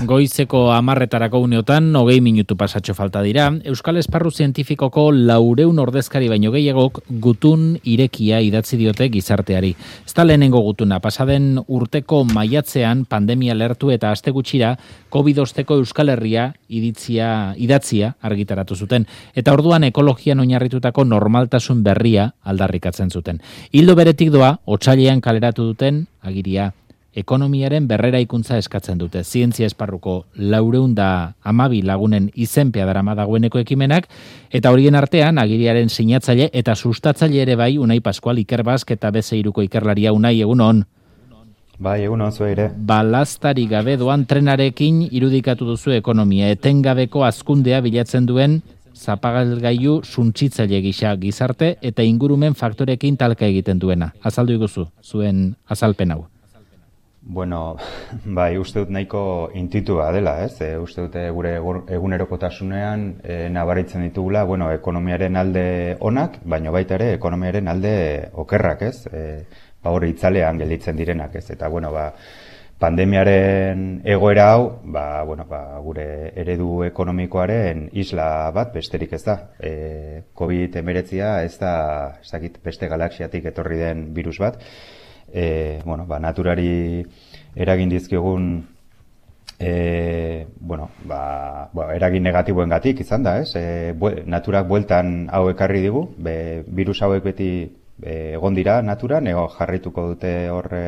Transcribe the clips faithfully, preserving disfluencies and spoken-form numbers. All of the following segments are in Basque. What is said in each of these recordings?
Goizeko hamarretarako uneotan, hogei minutu pasatxo falta dira, Euskal Esparru Zientifikoko laureun ordezkari baino gehiagok gutun irekia idatzi diote gizarteari. Ez da lehenengo gutuna, pasaden urteko maiatzean pandemia lertu eta aste gutxira covid osteko Euskal Herria iditzia, idatzia argitaratu zuten. Eta orduan ekologian oinarritutako normaltasun berria aldarrikatzen zuten. Hildo beretik doa, otsailean kaleratu duten agiria. Ekonomiaren berreraikuntza eskatzen dute. Zientzia esparruko laureun da amabi lagunen izenpea darama dagoeneko ekimenak, eta horien artean agiriaren sinatzaile eta sustatzaile ere bai Unai Pascual Ikerbask eta Bezeiruko ikerlaria. Unai, egunon. Bai, egunon zu ere. Balaztari gabe doan trenarekin irudikatu duzu ekonomia, etengabeko hazkundea bilatzen duen zapagalgailu suntsitzaile gisa gizarte eta ingurumen faktorekin talka egiten duena. Azaldu iguzu, zuen azalpen hau. Bueno, bai, uste dut nahiko intuitua dela, ez? E, uste dut gure egunerokotasunean e, nabaritzen ditugula, bueno, ekonomiaren alde onak, baina baita ere ekonomiaren alde okerrak, ez? E, ba, hori itzalean gelditzen direnak, ez? Eta, bueno, ba, pandemiaren egoera hau, ba, bueno, ba, gure eredu ekonomikoaren isla bat besterik ez da. E, covid hemeretzia ez da, ez dakit, beste galaxiatik etorri den virus bat. E, bueno, ba, naturari eragin dizkigun e, bueno, ba, ba, eragin negatiboen gatik izan da, ez? E, bue, naturak bueltan hau ekarri digu, be, virus hauek beti e, egon dira naturan, ego jarrituko dute horre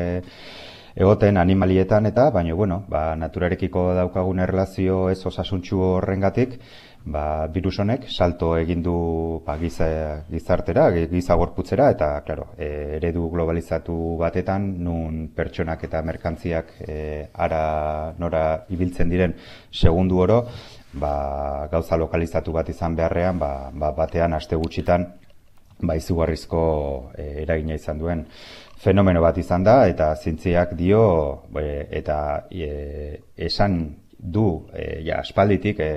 egoten animalietan eta, baina, bueno, ba, naturarekiko daukagun erlazio ez osasuntsu horrengatik, ba, virus honek salto egin du ba, giza, gizartera, giza gorputzera, eta, claro, e, eredu globalizatu batetan, nun pertsonak eta merkantziak e, ara nora ibiltzen diren segundu oro, ba, gauza lokalizatu bat izan beharrean, ba, ba, batean aste gutxitan, ba, izugarrizko e, eragina izan duen fenomeno bat izan da, eta zientziak dio, e, eta e, esan du, e, ja, aspalditik, e,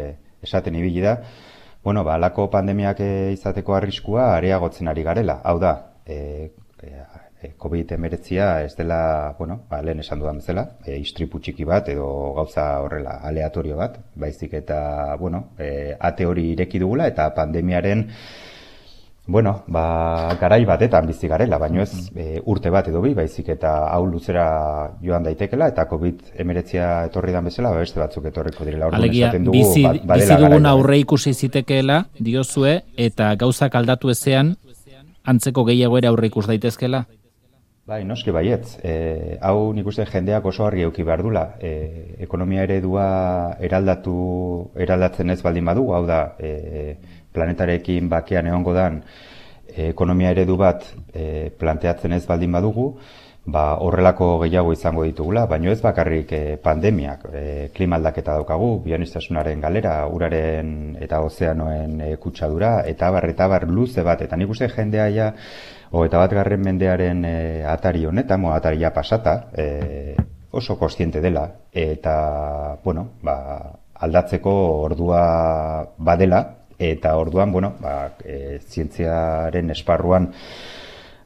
esaten ibili da, bueno, ba, alako pandemiak izateko arriskua areagotzen ari garela. Hau da, e, e, covid hemeretzia ez dela, bueno, ba, lehen esan dudan bezala, e, istripu txiki bat edo gauza horrela aleatorio bat, baizik eta, bueno, e, ate hori ireki dugula eta pandemiaren bueno, ba, garai batetan bizi garela, baino ez e, urte bat edo bi, baizik eta hau luzera joan daitekela, eta covid hemeretzia etorri dan bezala, ba, beste batzuk etorriko direla. Alegia, dugu, bizi, ba, bizi dugun aurre ikusi zitekeela, diozue, eta gauzak aldatu ezean, antzeko gehiago ere aurre ikus daitezkela? Bai, noski baietz. E, hau nik uste jendeak oso argi eduki behar dula. E, ekonomia eredua eraldatu, eraldatzen ez baldin badu, hau da, e, planetarekin bakean egongo dan e, ekonomia eredu bat e, planteatzen ez baldin badugu, ba, horrelako gehiago izango ditugula, baino ez bakarrik e, pandemiak, e, klima aldaketa daukagu, bionistasunaren galera, uraren eta ozeanoen e, kutsadura, eta bar, eta bar luze bat, eta nik uste jendea ja, o, eta bat garren mendearen e, atari honetan, mo, atari ja pasata, e, oso kontziente dela, eta, bueno, ba, aldatzeko ordua badela, eta orduan, bueno, ba, e, zientziaren esparruan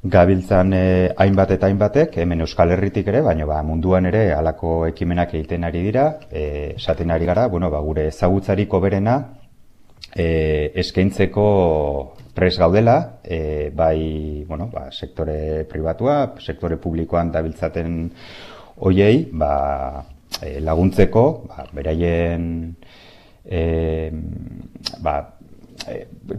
gabiltzan e, hainbat eta hainbatek, hemen Euskal Herritik ere, baina ba, munduan ere halako ekimenak egiten ari dira, e, esaten ari gara, bueno, ba, gure ezagutzariko berena e, eskaintzeko pres gaudela, e, bai, bueno, ba, sektore pribatua, sektore publikoan dabiltzaten hoiei, ba, e, laguntzeko, ba, beraien e, ba,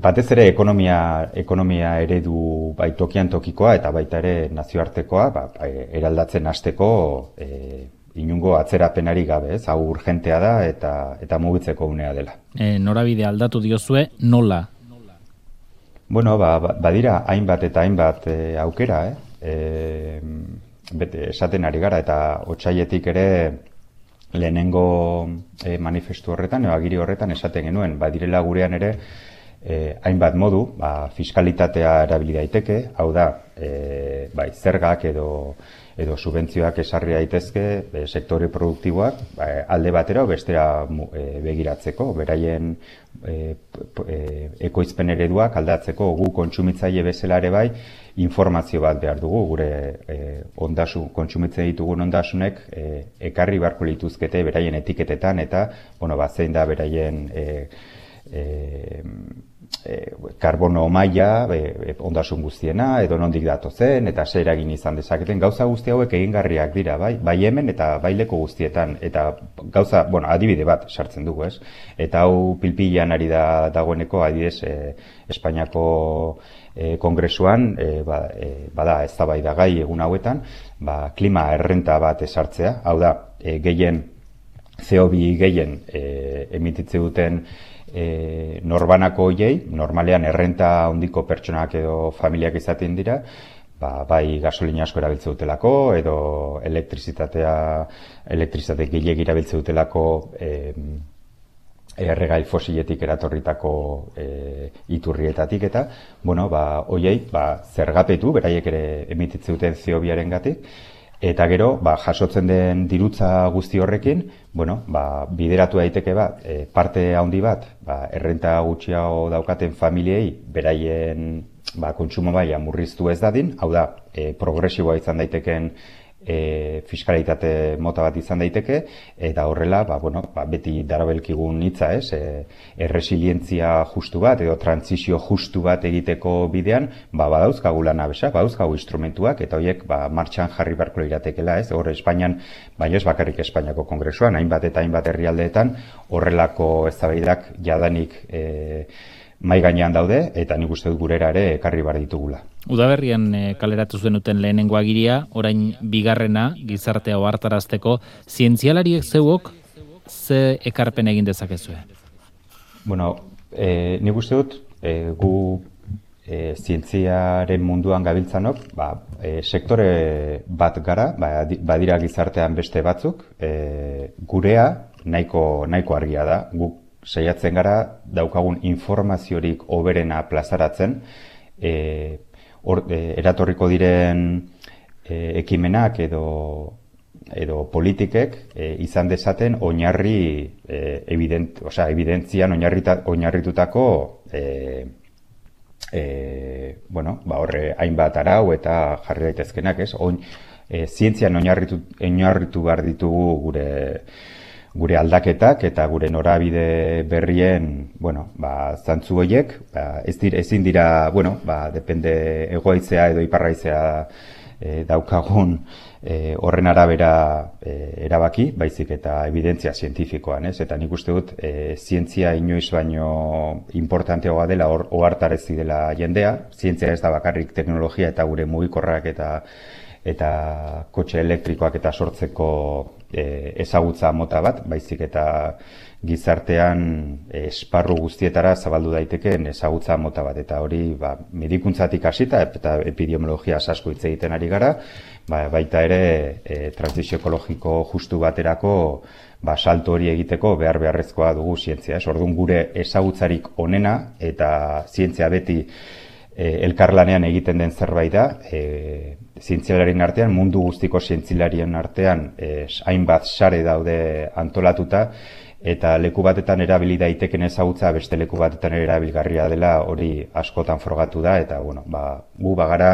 batez ere ekonomia, ekonomia eredu bai tokian tokikoa eta baita ere nazioartekoa ba, eraldatzen hasteko e, inungo atzerapenari gabe, ez? Hau urgentea da eta eta mugitzeko unea dela. E, norabide aldatu diozue, nola? Bueno, ba, badira hainbat eta hainbat e, aukera, eh? E, bete, esaten ari gara eta otsailetik ere lehenengo e, manifestu horretan, edo agiri horretan esaten genuen, badirela gurean ere e, hainbat modu, ba, fiskalitatea erabili daiteke, hau da, e, bai, zergak edo edo subentzioak esarri daitezke e, sektore produktiboak ba, alde batera bestera e, begiratzeko, beraien e, e, ekoizpen ereduak aldatzeko gu kontsumitzaile bezala ere bai informazio bat behar dugu, gure e, ondasun, kontsumitzen ditugun ondasunek e, ekarri beharko lituzkete beraien etiketetan eta bueno, ba, zein da beraien e, e, E, karbono maila e, ondasun guztiena edo nondik datozen eta zer eragin izan dezaketen gauza guzti hauek egingarriak dira bai bai hemen eta bai leku guztietan eta gauza bueno adibide bat sartzen dugu ez eta hau pilpilan ari da dagoeneko adibidez e, Espainiako e, kongresuan e, ba, e, bada eztabaidagai egun hauetan ba, klima errenta bat esartzea hau da e, gehien C O bi gehien e, emititze duten E, norbanako hoiei, normalean errenta handiko pertsonak edo familiak izaten dira, ba, bai gasolina asko erabiltze dutelako, edo elektrizitatea, elektrizitate gehiegi erabiltze dutelako e, erregai fosiletik eratorritako e, iturrietatik eta, bueno, ba, hoiei, ba, zergapetu, beraiek ere emititze duten C O biaren gatik, eta gero, ba, jasotzen den dirutza guzti horrekin, bueno, ba, bideratu daiteke bat, e, parte handi bat, ba, errenta gutxiago daukaten familiei, beraien ba, kontsumo maila murriztu ez dadin, hau da, e, progresiboa izan daiteken e, fiskalitate mota bat izan daiteke, eta horrela, ba, bueno, ba, beti darabelkigun hitza, ez, e, erresilientzia justu bat, edo transizio justu bat egiteko bidean, ba, badauzkagu lanabesak, badauzkagu instrumentuak, eta horiek ba, martxan jarri beharko iratekela, ez, hor Espainian, baina ez bakarrik Espainiako kongresuan, hainbat eta hainbat herrialdeetan, horrelako eztabaidak jadanik e, mai gainean daude, eta nik uste dut gurera ere ekarri bar ditugula. Udaberrian e, kaleratu zenuten lehenengo agiria, orain bigarrena, gizartea ohartarazteko, zientzialariek zeuok ze ekarpen egin dezakezue? Bueno, e, nik uste dut, e, gu e, zientziaren munduan gabiltzanok, ba, e, sektore bat gara, ba, badira gizartean beste batzuk, e, gurea nahiko, nahiko argia da, guk saiatzen gara daukagun informaziorik hoberena plazaratzen, e, or, e, eratorriko diren e, ekimenak edo, edo politikek e, izan dezaten oinarri e, evident, osea, evidentzian oinarrita, oinarritutako e, e, bueno, ba, horre hainbat arau eta jarri daitezkenak, ez? Oin, e, zientzian oinarritu, oinarritu behar ditugu gure gure aldaketak eta gure norabide berrien, bueno, ba, zantzu horiek, ba, ez dira, ezin dira, bueno, ba, depende egoaizea edo iparraizea e, daukagun e, horren arabera e, erabaki, baizik eta evidentzia zientifikoan, ez? Eta nik uste dut, e, zientzia inoiz baino importanteagoa dela, or, ohartarazi dela jendea, zientzia ez da bakarrik teknologia eta gure mugikorrak eta eta kotxe elektrikoak eta sortzeko e, ezagutza mota bat, baizik eta gizartean e, esparru guztietara zabaldu daitekeen ezagutza mota bat, eta hori ba, medikuntzatik hasita eta epidemiologia asko hitz egiten ari gara, ba, baita ere e, transizio ekologiko justu baterako ba, salto hori egiteko behar beharrezkoa dugu zientzia. Ez, orduan gure ezagutzarik onena eta zientzia beti e, elkarlanean egiten den zerbait da, e, zientzialarien artean, mundu guztiko zientzialarien artean eh, hainbat sare daude antolatuta eta leku batetan erabili daiteken ezagutza beste leku batetan erabilgarria dela hori askotan frogatu da eta bueno, ba, gu bagara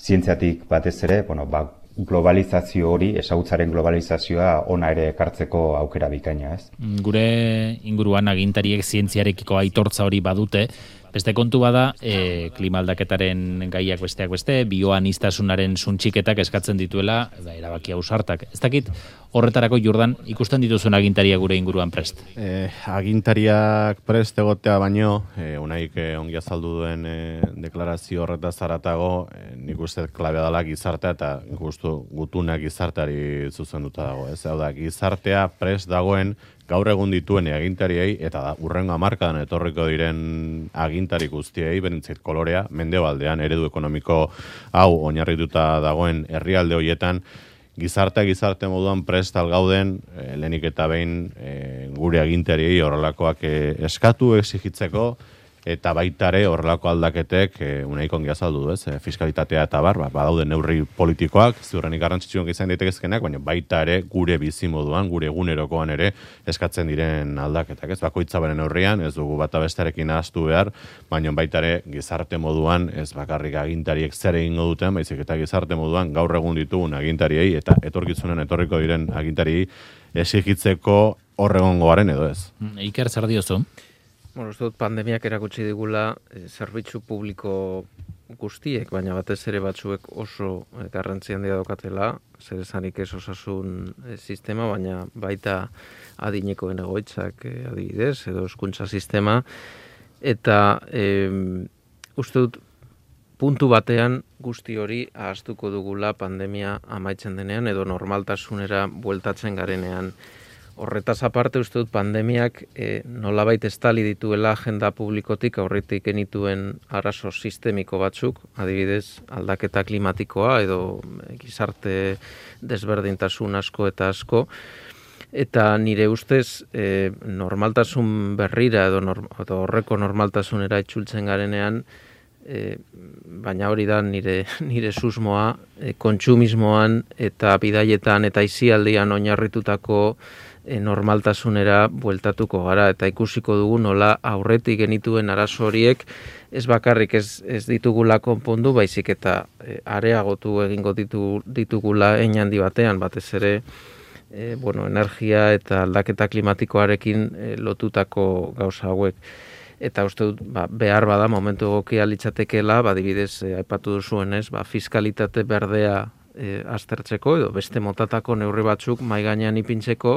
zientziatik batez ere, bueno, ba, globalizazio hori, ezagutzaren globalizazioa ona ere ekartzeko aukera bikaina, ez? Gure inguruan agintariek zientziarekiko aitortza hori badute, beste kontu bada, e, klima aldaketaren gaiak besteak beste, bioanistasunaren suntxiketak eskatzen dituela, da, erabaki ausartak. Ez dakit horretarako, Jordan, ikusten dituzuen agintaria gure inguruan prest? Eh, agintariak prest egotea baino, eh, unaik eh, ongi azaldu duen eh, deklarazio horretaz zaratago, eh, nik uste klabea dela gizartea eta gustu gutunak gizarteari zuzenduta dago. Ez hau da, gizartea prest dagoen gaur egun dituen agintariei eta da, urrengo hamarkadan etorriko diren agintari guztiei, benintzait kolorea, mendebaldean eredu ekonomiko hau oinarrituta dagoen herrialde horietan, gizartea gizarte moduan prestal gauden, e, lehenik eta behin e, gure agintariei horrelakoak e, eskatu, exigitzeko, eta baitare horrelako aldaketek e, unaik ongi azaldu du, ez? E, fiskalitatea eta bar, ba, badaude neurri politikoak, ziurrenik garrantzitsuak izan daitezkenak, baina baita ere gure bizimoduan, gure egunerokoan ere eskatzen diren aldaketak, ez? Bakoitza beren neurrian, ez dugu bata bestearekin ahaztu behar, baina baita ere gizarte moduan, ez bakarrik agintariek zer egingo duten, baizik eta gizarte moduan gaur egun ditugun agintariei eta etorkizunen etorriko diren agintariei exigitzeko horregongoaren edo ez. Iker, zer diozu? Bueno, uste dut pandemiak erakutsi digula e, zerbitzu publiko guztiek, baina batez ere batzuek oso e, garrantzi handia daukatela, zer esanik ez osasun e, sistema, baina baita adinekoen egoitzak e, adibidez, edo hezkuntza sistema, eta e, uste dut puntu batean guzti hori ahaztuko dugula pandemia amaitzen denean, edo normaltasunera bueltatzen garenean. Horretaz aparte, uste dut pandemiak e, nolabait estali dituela agenda publikotik aurretik genituen arazo sistemiko batzuk, adibidez aldaketa klimatikoa edo gizarte desberdintasun asko eta asko, eta nire ustez e, normaltasun berrira edo, norm, edo horreko normaltasunera itzultzen garenean, e, baina hori da nire, nire susmoa, e, kontsumismoan eta bidaietan eta aisialdian oinarritutako E, normaltasunera bueltatuko gara eta ikusiko dugu nola aurretik genituen arazo horiek ez bakarrik ez, ez ditugula konpondu, baizik eta e, areagotu egingo ditu, ditugula hein handi batean, batez ere e, bueno, energia eta aldaketa klimatikoarekin e, lotutako gauza hauek. Eta uste dut, ba, behar bada momentu egokia litzatekeela, badibidez, e, aipatu duzuenez, ba, fiskalitate berdea E, aztertzeko edo beste motatako neurri batzuk mahai gainean ipintzeko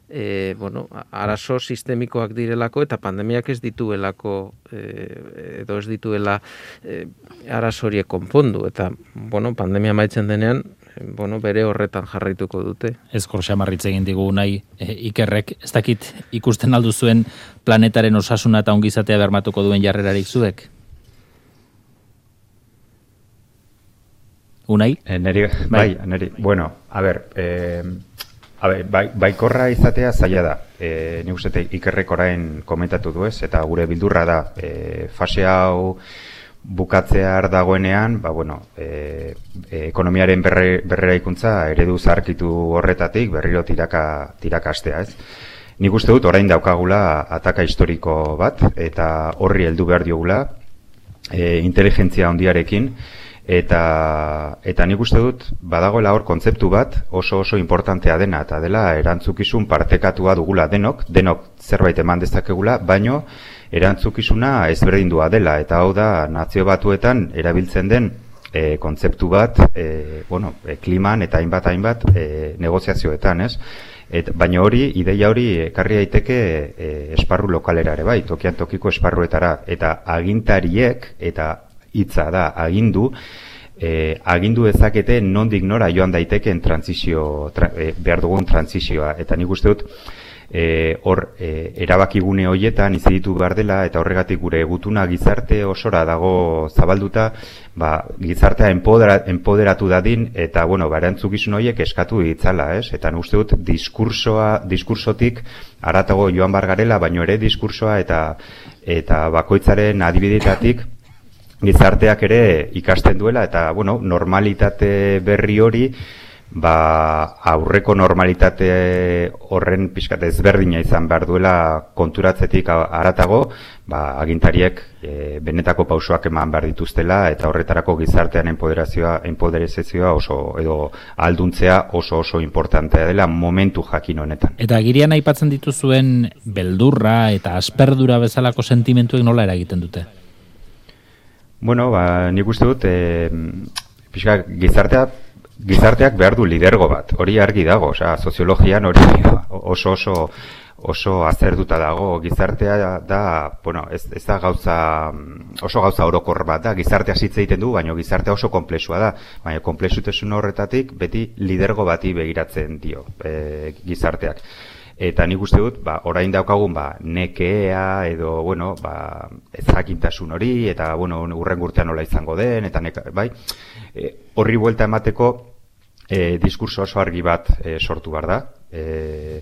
e, bueno, arazo sistemikoak direlako eta pandemiak ez dituelako e, edo ez dituela e, arazo horiek konpondu eta bueno, pandemia maitzen denean e, bueno, bere horretan jarraituko dute. Ezkor xamarritz egin digu nahi e, Ikerrek, ez dakit ikusten aldu zuen planetaren osasuna eta ongizatea bermatuko duen jarrerarik zuek? Unai? E, neri, bai, bai, neri. Bueno, a ber, eh, a ber, bai, baikorra izatea zaila da. Eh, ni uste Ikerrek orain komentatu du ez, eta gure bildurra da, eh, fase hau bukatzear dagoenean, ba, bueno, eh, ekonomiaren berre, berreraikuntza eredu zarkitu horretatik berriro tiraka, tirakastea ez. Nik uste dut orain daukagula ataka historiko bat, eta horri heldu behar diogula, eh, inteligentzia handiarekin, Eta, eta nik uste dut, badagoela hor kontzeptu bat oso oso importantea dena, eta dela erantzukizun partekatua dugula denok, denok zerbait eman dezakegula, baino erantzukizuna ezberdindua dela, eta hau da nazio batuetan erabiltzen den e, kontzeptu bat, e, bueno, e, kliman eta hainbat hainbat e, negoziazioetan, ez? Et, baina hori, ideia hori ekarri daiteke e, esparru lokalera ere bai, tokian tokiko esparruetara, eta agintariek eta hitza da agindu, eh, agindu dezakete nondik nora joan daitekeen trantsizio, tra, eh, behar dugun trantsizioa. Eta nik uste dut, eh, hor, eh, erabakigune horietan iziditu behar dela, eta horregatik gure gutuna gizarte osora dago zabalduta, ba, gizartea empodera, empoderatu dadin, eta, bueno, barantzukizun horiek eskatu ditzala, ez? Eta nik uste dut, diskursoa, diskursotik haratago joan bar garela, baino ere diskursoa eta, eta bakoitzaren adibidetatik, gizarteak ere ikasten duela eta bueno, normalitate berri hori ba, aurreko normalitate horren pixkat ezberdina izan behar duela konturatzetik haratago, ba, agintariek e, benetako pausoak eman behar dituztela eta horretarako gizartean empoderazioa, empoderazioa oso edo alduntzea oso oso importantea dela momentu jakin honetan. Eta agirian aipatzen dituzuen beldurra eta asperdura bezalako sentimentuek nola eragiten dute? Bueno, ba, nik uste dut, e, pixka, gizartea, gizarteak behar du lidergo bat, hori argi dago, osea, soziologian hori oso oso oso azerduta dago, gizartea da, bueno, ez, ez da gauza, oso gauza orokor bat da, gizartea hitz egiten du, baina gizartea oso konplexua da, baina konplexutasun horretatik beti lidergo bati begiratzen dio e, gizarteak. Eta nik uste dut, ba, orain daukagun, ba, nekea edo, bueno, ba, ezakintasun hori, eta, bueno, urren urtean nola izango den, eta neka, bai, e, horri buelta emateko e, diskurso oso argi bat e, sortu behar da. E,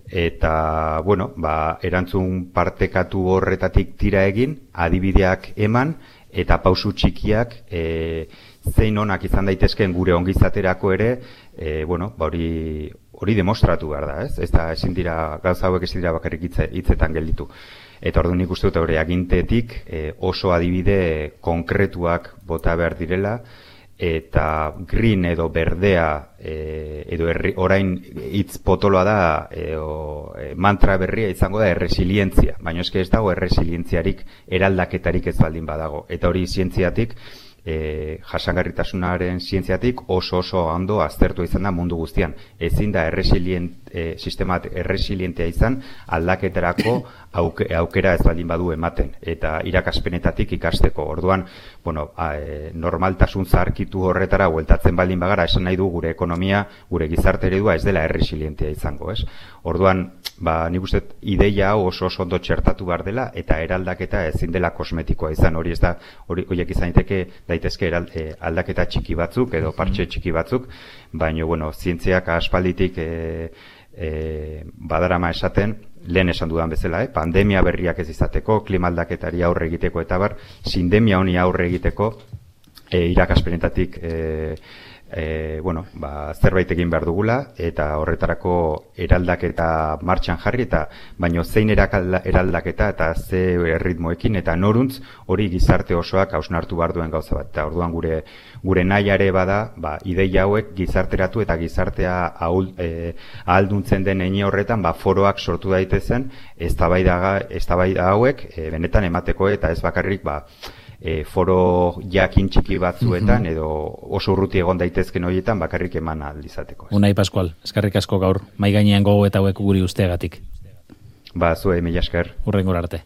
eta, bueno, ba, erantzun partekatu horretatik tira egin, adibideak eman, eta pausu txikiak e, zein onak izan daitezkeen gure ongizaterako ere, e, bueno, ba hori hori demostratu behar da, ez? Ez da, ezin dira, gauza hauek ezin dira bakarrik hitze, hitzetan gelditu. Eta orduan nik uste dut hori agintetik e, oso adibide konkretuak bota behar direla, eta green edo berdea e, edo erri, orain hitz potoloa da e, o, e, mantra berria izango da erresilientzia, baina eske ez dago erresilientziarik eraldaketarik ez baldin badago, eta hori zientziatik e, jasangarritasunaren zientziatik oso oso ondo aztertu izan da mundu guztian. Ezin da erresilient, e, sistemat erresilientea izan aldaketarako auke, aukera ez baldin badu ematen, eta irakaspenetatik ikasteko. Orduan, bueno, a, e, normaltasun zaharkitu horretara bueltatzen baldin bagara, esan nahi du gure ekonomia, gure gizarte eredua ez dela erresilientea izango, ez? Orduan, ba, nik uste ideia hau oso oso ondo txertatu behar dela, eta eraldaketa ezin dela kosmetikoa izan, hori ez da, hori horiek izan daiteke daitezke eral, e, aldaketa txiki batzuk edo partxe txiki batzuk, baina, bueno, zientziak aspalditik e, e, badarama esaten, lehen esan dudan bezala, eh? Pandemia berriak ez izateko, klima aldaketari aurre egiteko eta bar, sindemia honi aurre egiteko e, irakaspenetatik e, E, bueno, ba, zerbait egin behar dugula, eta horretarako eraldaketa martxan jarri, eta baino zein eraldaketa eta ze erritmoekin, eta noruntz hori gizarte osoak hausnartu behar duen gauza bat. Eta orduan gure gure nahiare bada, ba, ideia hauek gizarteratu eta gizartea ahul, e, ahalduntzen den eine horretan, ba, foroak sortu daitezen, eztabaida hauek e, benetan emateko, eta ez bakarrik, ba, E, foro jakin txiki batzuetan edo oso urruti egon daitezken horietan bakarrik eman aldizateko. Unai Pascual, eskerrik asko gaur, mai gainean gogo eta hauek guri usteagatik. Ba, zuei, mila esker. Hurrengora arte.